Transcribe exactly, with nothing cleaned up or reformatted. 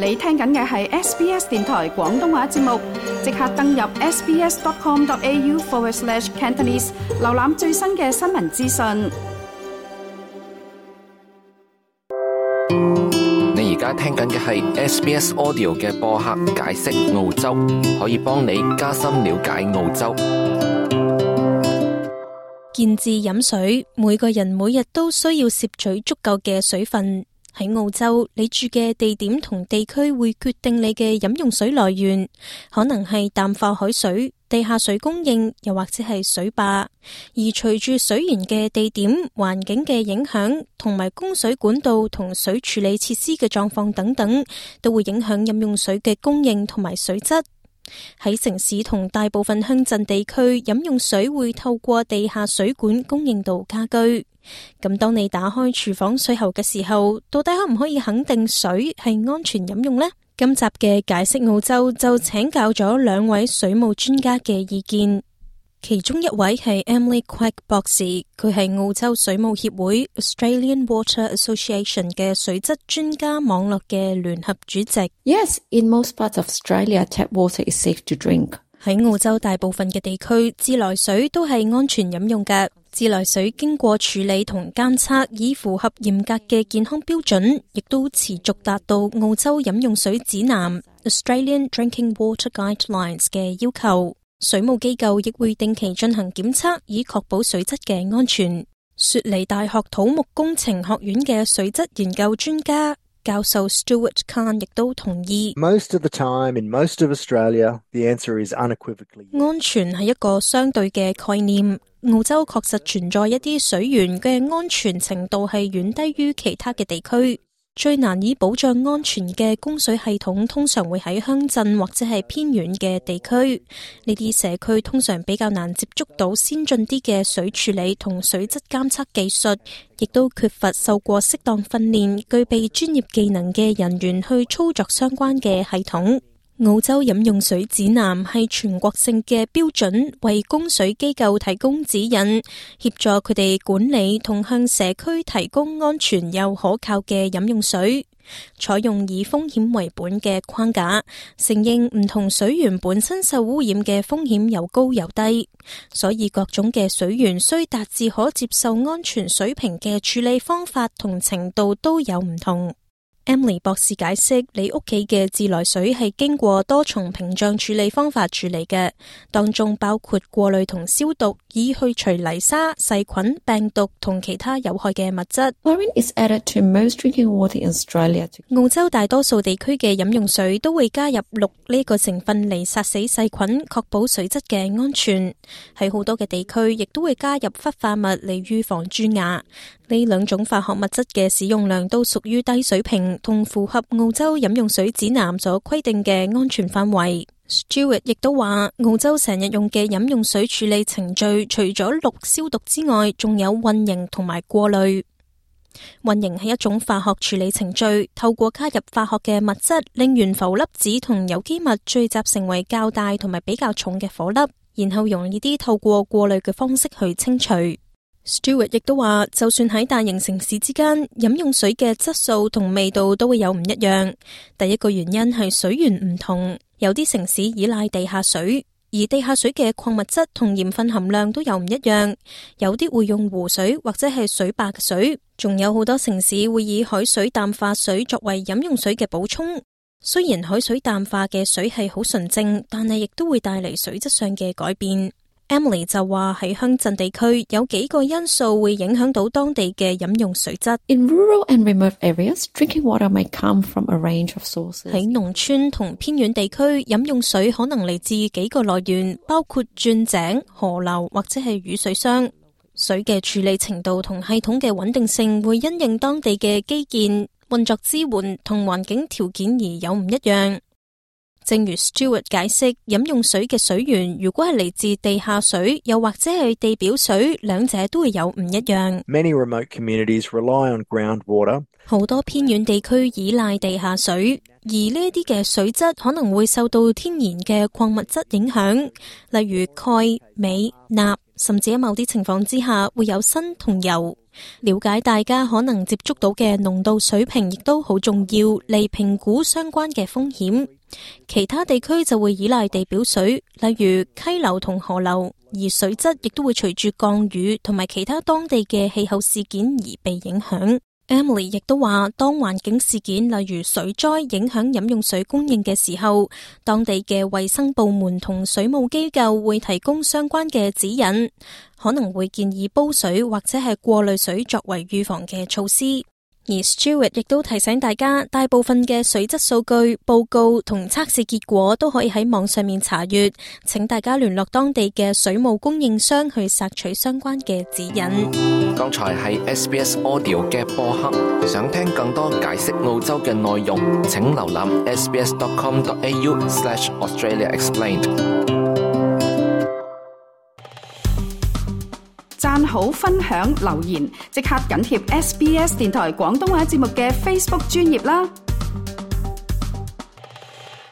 你聽緊嘅係 S B S 電台廣東話節目，即刻登入 sbs.com.au forward slash Cantonese， 瀏覽最新嘅新聞資訊。你而家聽緊嘅係 S B S Audio 嘅播客解釋澳洲，可以幫你加深了解澳洲。見字飲水，每個人每日都需要攝取足夠嘅水分。喺澳洲，你住嘅地點同地區會決定你嘅飲用水來源，可能係淡化海水、地下水供應，又或者係水壩。而隨住水源嘅地點、環境嘅影響，同埋供水管道同水處理設施嘅狀況等等，都會影響飲用水嘅供應同埋水質。喺城市同大部分鄉鎮地區，飲用水會透過地下水管供應到家居。咁當你打開廚房水喉嘅時候，到底可唔可以肯定水係安全飲用呢？今集嘅解釋澳洲就請教咗兩位水務專家嘅意見，其中一位係 Emily Quek 博士，佢係澳洲水務協會 Australian Water Association 嘅水質專家網絡嘅聯合主席。Yes, in most parts of Australia, tap water is safe to drink. 喺澳洲大部分嘅地區，自來水都係安全飲用嘅。自來水經過處理同監測，以符合嚴格嘅健康標準，亦都持續達到澳洲飲用水指南 Australian Drinking Water Guidelines 嘅要求。水務機構亦會定期進行檢測，以確保水質嘅安全。雪梨大學土木工程學院嘅水質研究專家教授 Stuart Khan 亦都同意 Most of the time, in most of Australia, the answer is unequivocally yes. 安全係一個相對嘅概念。澳洲確實存在一啲水源嘅安全程度係遠低於其他嘅地區。最難以保障安全嘅供水系統通常會喺鄉鎮或者係偏遠嘅地區。呢啲社區通常比較難接觸到先進啲嘅水處理同水質監測技術，亦都缺乏受過適當訓練、具備專業技能嘅人員去操作相關嘅系統。澳洲飲用水指南係全國性嘅標準，為供水機構提供指引，協助佢哋管理同向社區提供安全又可靠嘅飲用水。採用以風險為本嘅框架，承認唔同水源本身受污染嘅風險有高有低，所以各種嘅水源需達至可接受安全水平嘅處理方法同程度都有唔同。Emily 博士解釋，你屋企嘅自來水係經過多重屏障處理方法處理嘅，當中包括過濾同消毒，以去除泥沙、細菌、病毒同其他有害嘅物質。Chlorine is added to most drinking water in Australia. 澳洲大多數地區嘅飲用水都會加入氯呢個成分嚟殺死細菌，確保水質嘅安全。喺好多嘅地區，亦都會加入氟化物嚟預防蛀牙。呢兩種化學物質嘅使用量都屬於低水平，同符合澳洲飲用水指南所規定嘅安全範圍。Stuart 亦都話，澳洲成日用嘅飲用水處理程序，除咗氯消毒之外，仲有混凝同埋過濾。混凝係一種化學處理程序，透過加入化學嘅物質，令懸浮粒子同有機物聚集成為較大同埋比較重嘅顆粒，然後容易啲透過過濾嘅方式去清除。Stuart 亦都話，就算喺大型城市之間，飲用水嘅質素同味道都會有唔一樣。第一個原因係水源唔同，有啲城市依賴地下水，而地下水嘅礦物質同鹽分含量都有唔一樣。有啲會用湖水或者係水壩嘅水，仲有好多城市會以海水淡化水作為飲用水嘅補充。雖然海水淡化嘅水係好純正，但係亦都會帶嚟水質上嘅改變。Emily 就話喺鄉鎮地區有幾個因素會影響到當地嘅飲用水質。In rural and remote areas, drinking water may come from a range of sources. 喺農村同偏遠地區，飲用水可能嚟自幾個來源，包括鑽井、河流或者係雨水箱。水嘅處理程度同系統嘅穩定性會因應當地嘅基建、運作支援同環境條件而有唔一樣。正如 Stuart 解釋，飲用水嘅水源如果係嚟自地下水，又或者係地表水，兩者都會有唔一樣。Many remote communities rely on groundwater. 好多偏遠地區依賴地下水，而呢啲嘅水質可能會受到天然嘅礦物質影響，例如鈣、鎂、鈉，甚至喺某啲情況之下會有砷同鈾。了解大家可能接觸到嘅濃度水平亦都好重要，嚟評估相關嘅風險。其他地區就會依賴地表水，例如溪流同河流，而水質亦都會隨住降雨同埋其他當地嘅氣候事件而被影響。Emily 亦都話，當環境事件例如水災影響飲用水供應嘅時候，當地嘅衛生部門同水務機構會提供相關嘅指引，可能會建議煲水或者係過濾水作為預防嘅措施。而 Stewart 亦都提醒大家，大部分嘅水質數據、報告同測試結果都可以喺網上面查閱，請大家聯絡當地嘅水務供應商去索取相關嘅指引。剛才係 S B S Audio 嘅播客，想聽更多解釋澳洲嘅內容，請瀏覽 s b s dot com dot a u slash Australia Explained。讚好、分享、留言，即刻緊貼 S B S 電台廣東話節目嘅 Facebook 專頁啦！